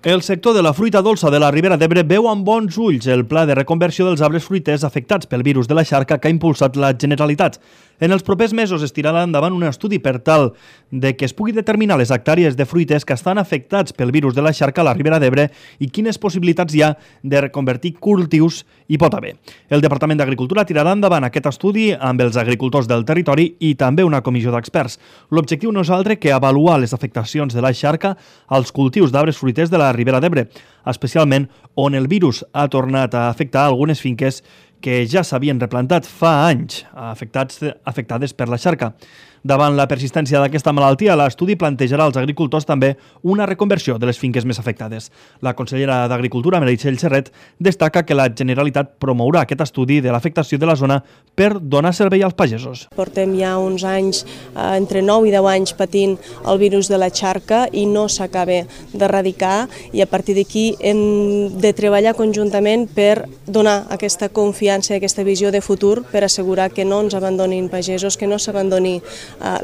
El sector de la fruita dolça de la Ribera d'Ebre veu amb bons ulls el pla de reconversió dels arbres fruiters afectats pel virus de la xarca que ha impulsat la Generalitat. En els propers mesos es tirarà endavant un estudi per tal de que es pugui determinar les hectàrees de fruiters que estan afectats pel virus de la xarca a la Ribera d'Ebre i quines possibilitats hi ha de reconvertir cultius hi pot haver. El Departament d'Agricultura tirarà endavant aquest estudi amb els agricultors del territori i també una comissió d'experts. L'objectiu no és altre que avaluar les afectacions de la xarca als cultius d'arbres fruiters de la Ribera d'Ebre, especialment on el virus ha tornat a afectar algunes finques que ja s'havien replantat fa anys, afectades per la xarca. Davant la persistència d'aquesta malaltia, l'estudi plantejarà als agricultors també una reconversió de les finques més afectades. La consellera d'Agricultura, Meritxell Serret, destaca que la Generalitat promourà aquest estudi de l'afectació de la zona per donar servei als pagesos. Portem ja uns anys, entre 9 i 10 anys, patint el virus de la xarca i no s'acaba d'erradicar, i a partir d'aquí hem de treballar conjuntament per donar aquesta confiança i aquesta visió de futur per assegurar que no ens abandonin pagesos, que no s'abandoni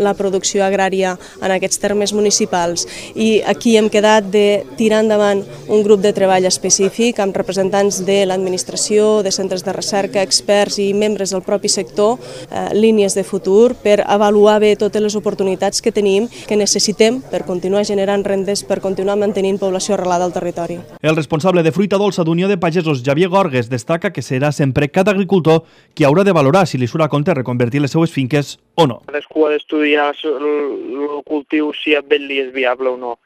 la producció agrària en aquests termes municipals. I aquí hem quedat de tirar endavant un grup de treball específic amb representants de l'administració, de centres de recerca, experts i membres del propi sector, línies de futur per avaluar bé totes les oportunitats que tenim, que necessitem per continuar generant rendes, per continuar mantenint població arrelada al territori. El responsable de Fruita Dolça d'Unió de Pagesos, Javier Gorgues, destaca que serà sempre cada agricultor qui haurà de valorar si li surt a compte reconvertir les seues finques o no. Cadascú ha d'estudiar el cultiu si amb ell li és viable o no.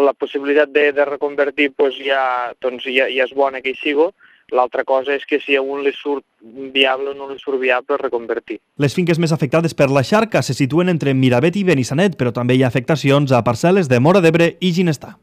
La possibilitat de reconvertir ja és bona que hi sigui. L'altra cosa és que si a un li surt viable o no li surt viable reconvertir. Les finques més afectades per la xarca se situen entre Miravet i Benissanet, però també hi ha afectacions a parcel·les de Móra d'Ebre i Ginestar.